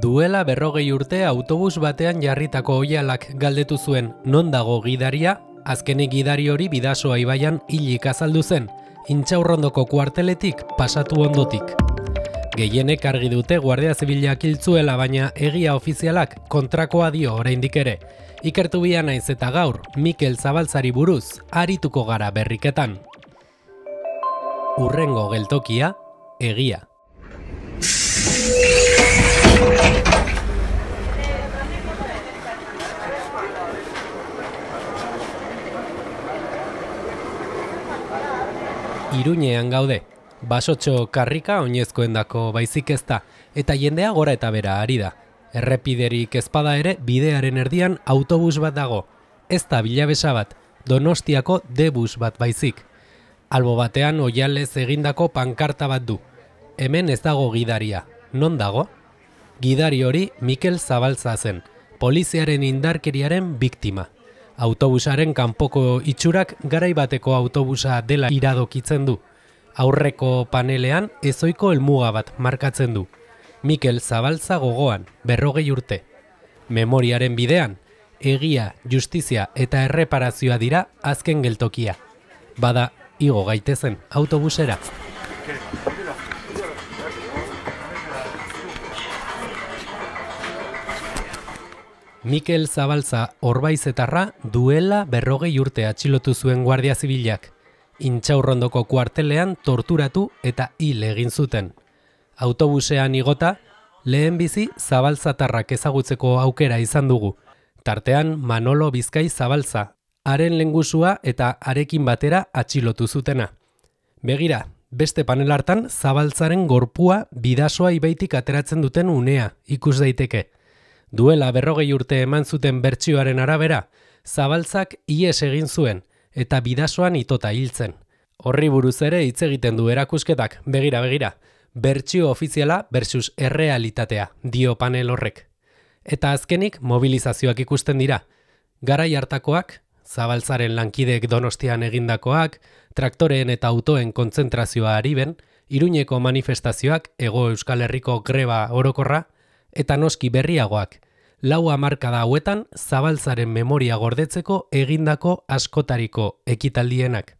Duela 40 urte autobus batean jarritako oihalak galdetu zuen non dago gidaria, azkenik gidari hori Bidasoa ibaian hilik azaldu zen, Intxaurrondoko kuarteletik pasatu ondotik. Gehienek argi dute Guardia Zibilak hil zuela, baina egia ofizialak kontrakoa dio oraindik ere. Ikertu bia naiz eta gaur, Mikel Zabaltzari buruz arituko gara berriketan. Hurrengo geltokia, egia. Iruñean gaude, basotxo karrika oinezkoendako baizik ez da, eta jendea gora eta bera ari da. Errepiderik ezpada ere bidearen erdian autobus bat dago, ez da Bilabesa bat, Donostiako D-bus bat baizik. Albo batean oihalez egindako pankarta bat du. Hemen ez dago gidaria, non dago? Gidari hori Mikel Zabaltza zen, poliziaren indarkeriaren biktima. Autobusaren kanpoko itxurak garai bateko autobusa dela iradokitzen du. Aurreko panelean ezoiko helmuga bat markatzen du. Mikel Zabaltza gogoan, 40 urte. Memoriaren bidean, egia, justizia eta erreparazioa dira azken geltokia. Bada, igo gaitezen autobusera. Mikel Zabaltza orbaizetarra duela 40 urte atxilotu zuen Guardia Zibilak. Intxaurrondoko kuartelean torturatu eta hil egin zuten. Autobusean igota, lehenbizi Zabaltzatarrak ezagutzeko aukera izan dugu. Tartean Manolo Bizkai Zabaltza, haren lehengusua eta harekin batera atxilotu zutena. Begira, beste panel hartan Zabaltzaren gorpua Bidasoa ibaitik ateratzen duten unea ikus daiteke. Duela 40 urte eman zuten bertsioaren arabera, Zabaltzak ihes egin zuen eta Bidasoan itota hiltzen. Horri buruz ere hitz egiten du erakusketak, begira. Bertsio ofiziala versus errealitatea, dio panel horrek. Eta azkenik mobilizazioak ikusten dira. Garai hartakoak, Zabaltzaren lankideek Donostian egindakoak, traktoreen eta autoen kontzentrazioa Ariben, Iruñeko manifestazioak, Hego Euskal Herriko greba orokorra, eta noski berriagoak, 4 hamarkada hauetan Zabaltzaren memoria gordetzeko egindako askotariko ekitaldienak.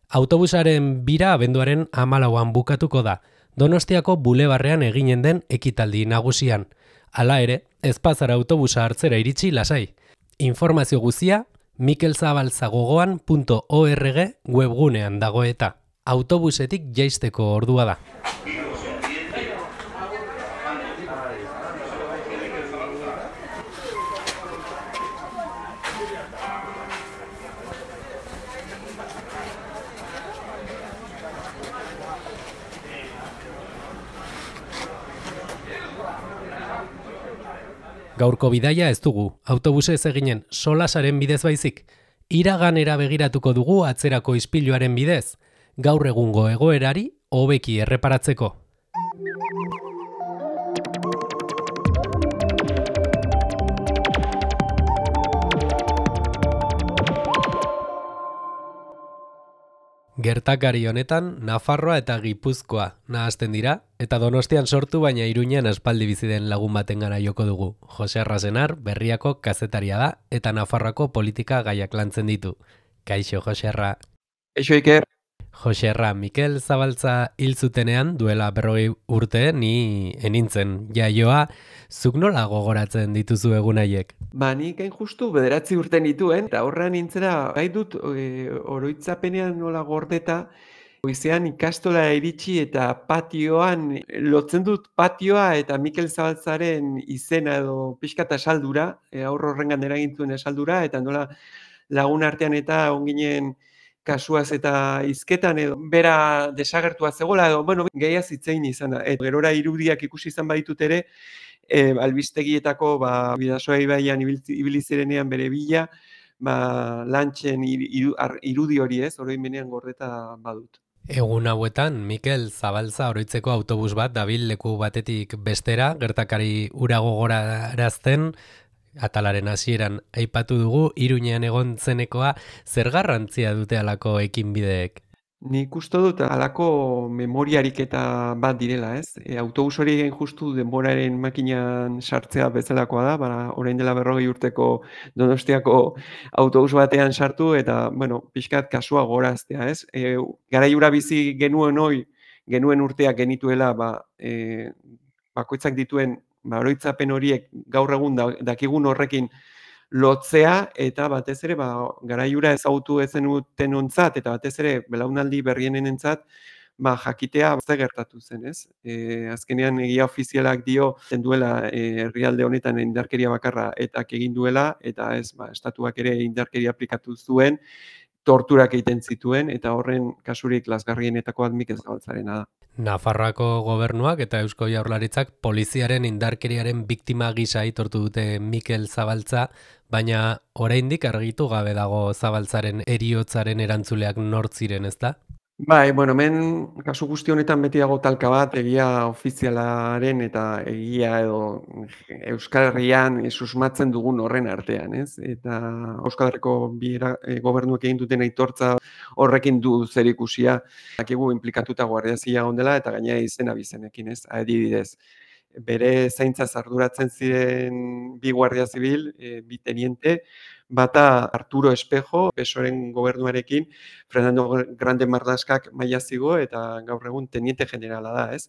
Autobusaren bira abenduaren 14an bukatuko da, Donostiako bulebarrean eginen den ekitaldi nagusian. Hala ere, ez pazara autobusa hartzera iritsi lasai. Informazio guzia mikelzabaltzagogoan.org webgunean dago eta autobusetik jaisteko ordua da. Gaurko bidaia ez dugu, autobusez eginen solasaren bidez baizik. Iraganera begiratuko dugu atzerako ispiluaren bidez, gaur egungo egoerari hobeki erreparatzeko. Gertakari honetan, Nafarroa eta Gipuzkoa nahasten dira, eta Donostian sortu baina Iruñean aspaldi bizi den lagun batengana joko dugu. Jose Arrasenar, Berriako kazetaria da, eta Nafarroako politika gaiak lantzen ditu. Kaixo, Jose Arra. Eixo Iker. Jose Arra, Mikel Zabaltza hil zutenean, duela 40 urte, ni enintzen jaioa, zuk nola gogoratzen dituzu egun haiek? Nik hain justu 9 urte nituen, eta horrean nintzera, gai dut oroitzapenean nola gordeta, goizean ikastola iritsi eta patioan, lotzen dut patioa eta Mikel Zabaltzaren izena edo pixkata esaldura, aurro horrengan eragintuen esaldura, eta nola lagun artean eta onginen kasuaz eta hizketan edo bera desagertua zegoela edo, gaiaz hitzein izan da. Gerora irudiak ikusi izan baditut ere, albistegietako Bidasoa ibaian ibili zirenean bere bila, lantxen irudi hori ez, oroimenean gordeta badut. Egun hauetan, Mikel Zabaltza oroitzeko autobus bat dabil leku batetik bestera, gertakari hura gogorarazten, atalaren hasieran aipatu dugu, Iruñean egon zenekoa, zer garrantzia dute halako ekinbideek? Nik uste dut halako memoriarik eta bat direla, ez? Autobus hori justu denboraren makinan sartzea bezalakoa da, orain dela 40 urteko Donostiako autobus batean sartu eta, bueno, pixkat kasua goraztea, ez? Garai hura bizi genuen urteak genituela, bakoitzak dituen oroitzapen horiek gaur egun dakigun horrekin lotzea eta batez ere garai hura ezagutu ez zenutenontzat eta batez ere belaunaldi berrienentzat jakitea zer gertatu zen, ez? Azkenean egia ofizialak dio duela herrialde honetan indarkeria bakarra etak egin duela eta ez estatuak ere indarkeria aplikatu zuen, torturak egiten zituen eta horren kasurik lazgarrienetakoa Mikel Zabaltzarena da. Nafarroako gobernuak eta Eusko Jaurlaritzak poliziaren indarkeriaren biktima gisa aitortu dute Mikel Zabaltza, baina oraindik argitu gabe dago Zabaltzaren heriotzaren erantzuleak nortziren, ezta? Bai, bueno, hemen kasu guzti honetan beti dago talka bat egia ofizialaren eta egia edo Euskal Herrian susmatzen dugun horren artean, ez? Eta Euskal Herriko gobernuek egin duten aitortza horrekin du zerikusia. Dakigu inplikatuta Guardia Zibila ondela eta gainera izena bizenekin, ez? Adibidez, bere zaintzaz arduratzen ziren bi Guardia Zibil, bi teniente, bata Arturo Espejo, PSOEren gobernuarekin, Fernando Grande Marlaskak maila zigo eta gaur egun teniente generala da, ez?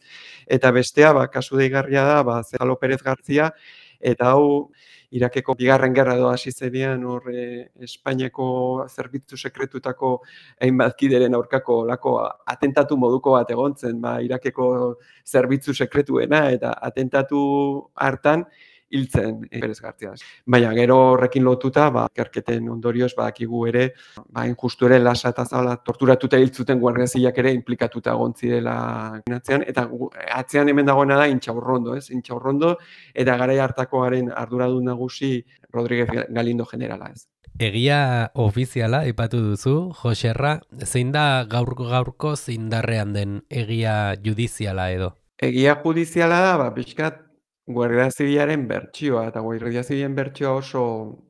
Eta bestea, kasu deigarria da, Zefalo Pérez García, eta hau Irakeko bigarren gerra edo hasi zenean hor Espainiako zerbitzu sekretutako hainbat kideren aurkako olako atentatu moduko bat egon zen, Irakeko zerbitzu sekretuena eta atentatu hartan hiltzen Pérez García. Baina gero horrekin lotuta, ikerketen ondorioz badakigu ere, injustu ere Lasa eta Zabala torturatuta hiltzuten Guardia Zibilak ere inplikatuta egon zirela atzean, eta atzean hemen dagoena da Intxaurrondo, ez? Intxaurrondo eta garai hartakoaren arduradun nagusi Rodríguez Galindo generala, ez? Egia ofiziala aipatu duzu, Joserra, zein da gaurko indarrean den egia judiziala edo? Egia judiziala da, pixkat Guardia Zibilaren bertsioa, eta Guardia Zibilen bertsioa oso,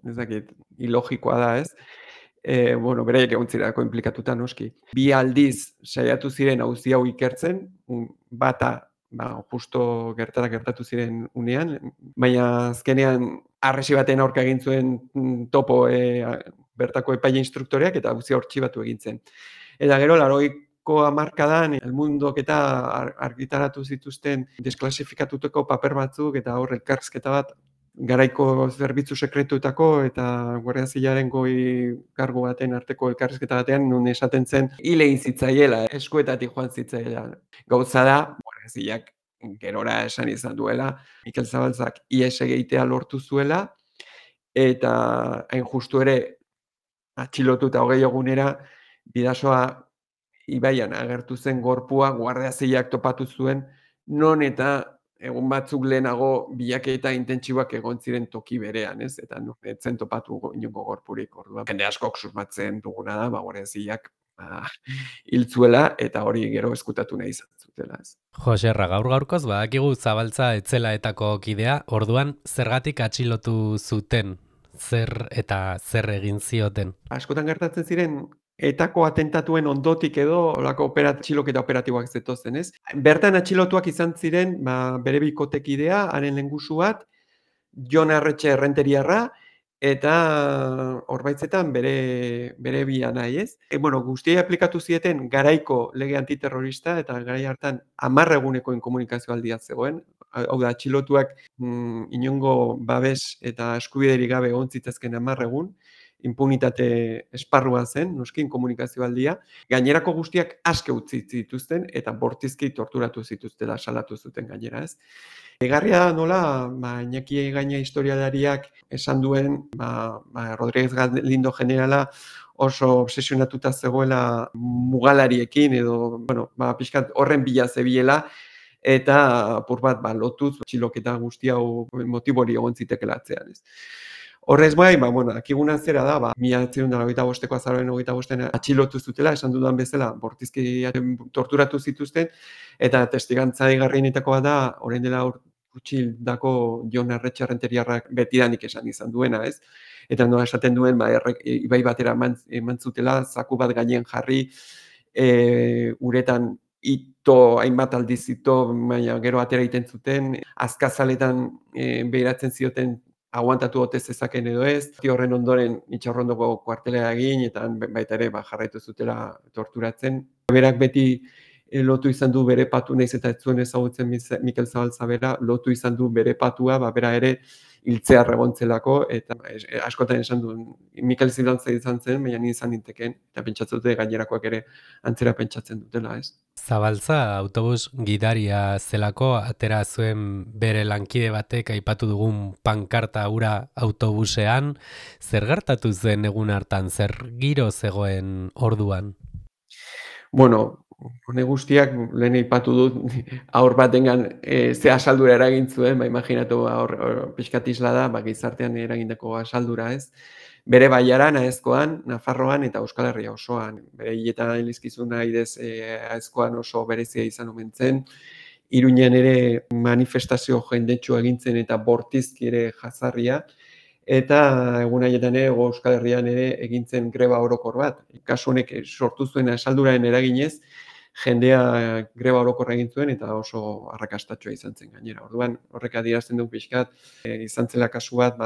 ez dakit, ilogikoa da, ez? Bueno, beraiek egon zirelako inplikatuta noski. Bi aldiz saiatu ziren auzi hau ikertzen, bata, justo gertatu ziren unean, baina azkenean arresi baten aurka egin zuen topo bertako epaile instruktoreak eta auzi hortxibatu egin zen. Eta gero, 80ko hamarkadan El Mundok eta argitaratu zituzten desklasifikatutako paper batzuk eta hor elkarrizketa bat garaiko zerbitzu sekretuetako eta Guardia Zibilaren goi kargu baten arteko elkarrizketa batean nun esaten zen hil egin zitzaiela, eskuetatik joan zitzaiela. Gauza da, Guardia Zibilak gerora esan izan duela, Mikel Zabaltzak ihes egitea lortu zuela eta hain justu ere atxilotuta 20 egunera Bidasoa ibaian agertu zen gorpua Guardia Zibilak topatu zuen, non eta egun batzuk lehenago bilaketa intentsiboak egon ziren toki berean, ez? Eta ez zen topatu inongo gorpurik. Orduan, jende askok susmatzen duguna da, Guardia Zibilak hil zuela eta hori gero eskutatu nahi izan zutela, ez? Joserra, gaurkoz badakigu Zabaltza etzelaetako kidea, orduan zergatik atxilotu zuten? Zer egin zioten? Askotan gertatzen ziren etako atentatuen ondotik edo olako atxiloketa operatiboak zetozen, ez? Bertan atxilotuak izan ziren, bere bikotekidea, haren lengusu bat, Jon Arretxe errenteriarra, eta Orbaitzetan bere bi anai, ez? Bueno, guztiei aplikatu zieten garaiko lege antiterrorista, eta garai hartan 10 eguneko inkomunikazio aldia zegoen. Hau da, atxilotuak inongo babes eta eskubiderik gabe egon zitezken 10 egun, impunitate esparrua zen, noski, inkomunikazio aldia. Gainerako guztiak aske utzi zituzten, eta bortizki torturatu zituztela salatu zuten gainera, ez? Egarria da nola, Iñaki Gaina historialariak esan duen, Rodríguez Galindo generala oso obsesionatuta zegoela mugalariekin edo, bueno, pixkat horren bila zebiela, eta apur bat lotuz txiloketa guzti hau motibori egon zitekela atzean, ez. Horrez bai, akiguna zera da, 1985ko azaroaren 25 atxilotu zutela, esan dudan bezala, bortizki torturatu zituzten, eta testigantza igarrienetakoa da, orain dela gutxi dako Jon Arretxe errenteriarrak betidanik esan izan duena, ez? Eta nola esaten duen, ibai batera eman zutela, zaku bat gainen jarri, uretan hainbat aldiz baina gero atera egiten zuten, azkazaletan behiratzen zioten aguantatu ote zezaken edo ez. Horren ondoren Intxaurrondoko kuartelera egin, eta baita ere jarraitu zutela torturatzen. Berak beti lotu izan du bere patu, nahiz eta ez zuen ezagutzen Mikel Zabalza bera, lotu izan du bere patua, bera ere hiltzear egontzelako, eta askotan esan du, Mikel Zabalza izan zen, baina ni izan ninteken, eta pentsatzen dute gainerakoak ere antzera pentsatzen dutela, ez? Zabalza autobus gidaria zelako, atera zuen bere lankide batek aipatu dugun pankarta hura autobusean, zer gertatu zen egun hartan, zer giro zegoen orduan? Bueno, hone guztiak lehen aipatu dut haur batengan ze asaldura eragin zuen, imaginatu haur pixkat isla da, gizartean eragindako asaldura, ez? Bere baiaran, Aezkoan, Nafarroan eta Euskal Herria osoan. Bere hiletan elizkizuna idez Aezkoan oso berezia izan omen zen. Iruñean ere manifestazio jendetsu egintzen eta bortizki ere jazarria. Eta egun haietan ere Euskal Herrian ere egintzen greba orokor bat. Kasu honek sortu zuen asalduraren eraginez, jendea greba orokorra egin zuen eta oso arrakastatsua izan zen gainera. Orduan, horrek adierazten du pixkat, izan zela kasu bat,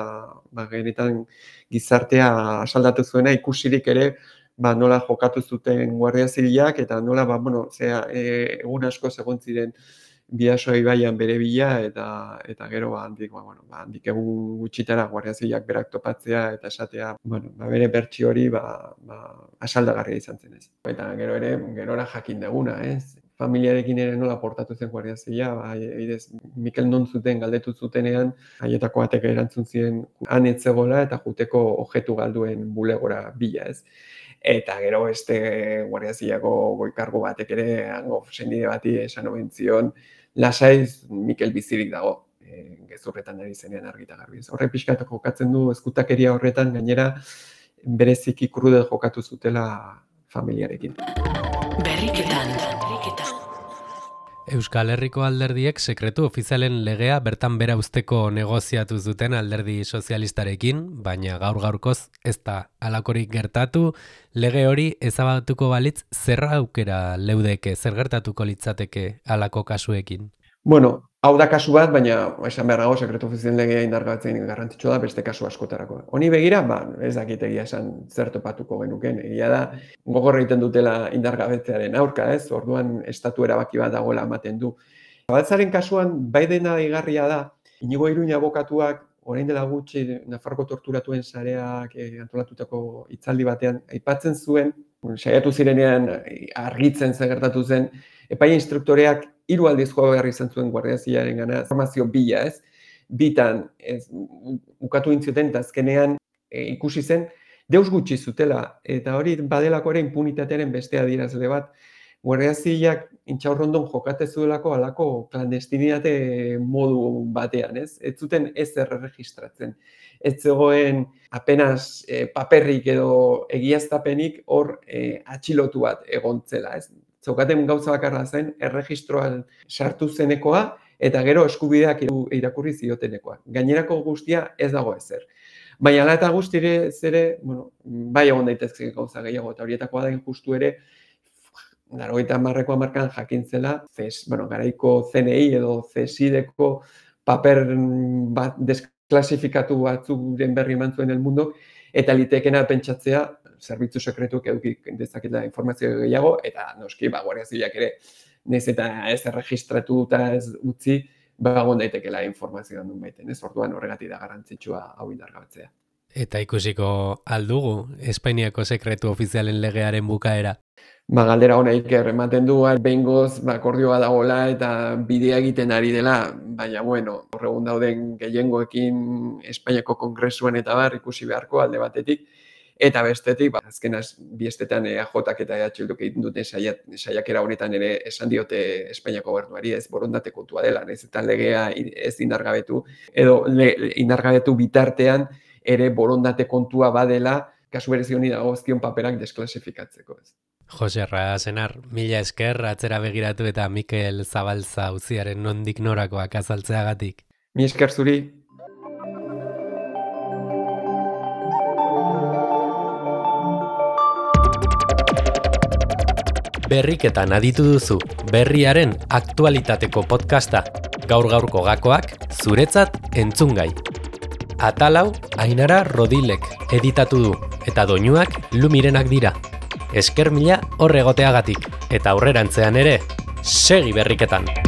genetan gizartea asaldatu zuena, ikusirik ere, nola jokatu zuten Guardia Zibilak, eta nola, egun asko egon ziren Bidasoa ibaian bere bila, eta gero handik egun gutxitara Guardia Zibilak berak topatzea eta esatea, bere bertsio hori asaldagarria izan zen ez. Eta gero ere, gerora jakin deguna, ez? Familiarekin ere nola portatu zen Guardia Zibila, Mikel non zuten galdetu zutenean, haietako batek erantzun ziren han ez zegoela eta juteko objektu galduen bulegora bila, ez? Eta gero beste Guardia Zibilako goi-kargu batek ere hango sendide bati esan omen zion, lasaiz Mikel bizirik dago, gezurretan ari zenean argita garbi. Horre pixkat jokatzen du ezkutakeria horretan, gainera bereziki krudel jokatu zutela familiarekin. Berriketan. Euskal Herriko alderdiek sekretu ofizialen legea bertan bera uzteko negoziatu zuten alderdi sozialistarekin, baina gaur-gaurkoz ez da halakorik gertatu. Lege hori ezabatuko balitz zerra aukera leudeke, zer gertatuko litzateke halako kasuekin? Bueno, hau da kasu bat, baina esan behar dago sekretu ofizialen legea indargabetzen garrantzitsua da beste kasu askotarako. Honi begira, ez dakit egia esan zer topatuko genuken. Egia da, gogor egiten dutela indargabetzearen aurka, ez? Orduan estatu erabaki bat dagoela ematen du. Zabaltzaren kasuan, bai dena igarria da, Inigo Iruña abokatuak, orain dela gutxi Nafarroko torturatuen sareak antolatutako hitzaldi batean, aipatzen zuen, saiatu zirenean argitzen zer gertatu zen, epaile instruktoreak 3 aldiz joa behar izan zuen Guardia Zibilarengana, informazio bila, ez? Bitan, ukatu intzioten, eta azkenean ikusi zen, deus gutxi zutela, eta hori badelako ere impunitatearen beste adierazle bat, Guardia Zibilak Intxaurrondon jokate zuelako halako klandestinitate modu batean, ez? Ez zuten ezer erregistratzen. Ez zegoen apenas paperrik edo egiaztapenik hor atxilotu bat egontzela, ez? Zeukaten gauza bakarra zen, erregistroan sartu zenekoa, eta gero eskubideak irakurri ziotenekoa. Gainerako guztia ez dago ezer. Baina ala eta guztire zere, bai egon daitezke gauza gehiago, eta horietakoa da justu ere, 80ko hamarkadan jakin zela, garaiko CNI edo CSIDeko paper desklasifikatu batzuren berri eman zuen El Mundok, eta litekena pentsatzea, zerbitzu sekretuak edukik dezaketela informazio gehiago, eta noski, Guardia Zibilak ere, nahiz eta ez erregistratu eta ez utzi, egon daitekela informazioa duen baiten, ez? Orduan horregatik da garrantzitsua hau indargabetzea. Eta ikusiko aldugu, Espainiako sekretu ofizialen legearen bukaera? Galdera honeik ematen du, behingoz akordioa dagoela eta bidea egiten ari dela, baina horregun dauden gehiengoekin Espainiako Kongresuan eta ikusi beharko alde batetik, eta bestetik, azken biestetan EAJak eta EH Bilduk egiten duten saiakera honetan ere esan diote Espainiako gobernuari, ez borondate kontua dela, ez eta legea ez indargabetu, edo indargabetu bitartean ere borondate kontua badela, kasu berezi honi dagozkion paperak desklasifikatzeko, ez. Jose Arrasenar, mila esker atzera begiratu eta Mikel Zabalza auziaren nondik norakoak azaltzeagatik. Mila esker zuri. Berriketan aditu duzu berriaren aktualitateko podcasta. Gaur-gaurko gakoak zuretzat entzungai. Atalau Ainara Rodilek editatu du eta doinuak Lumirenak dira. Esker mila hor egoteagatik eta aurrerantzean ere, segi berriketan!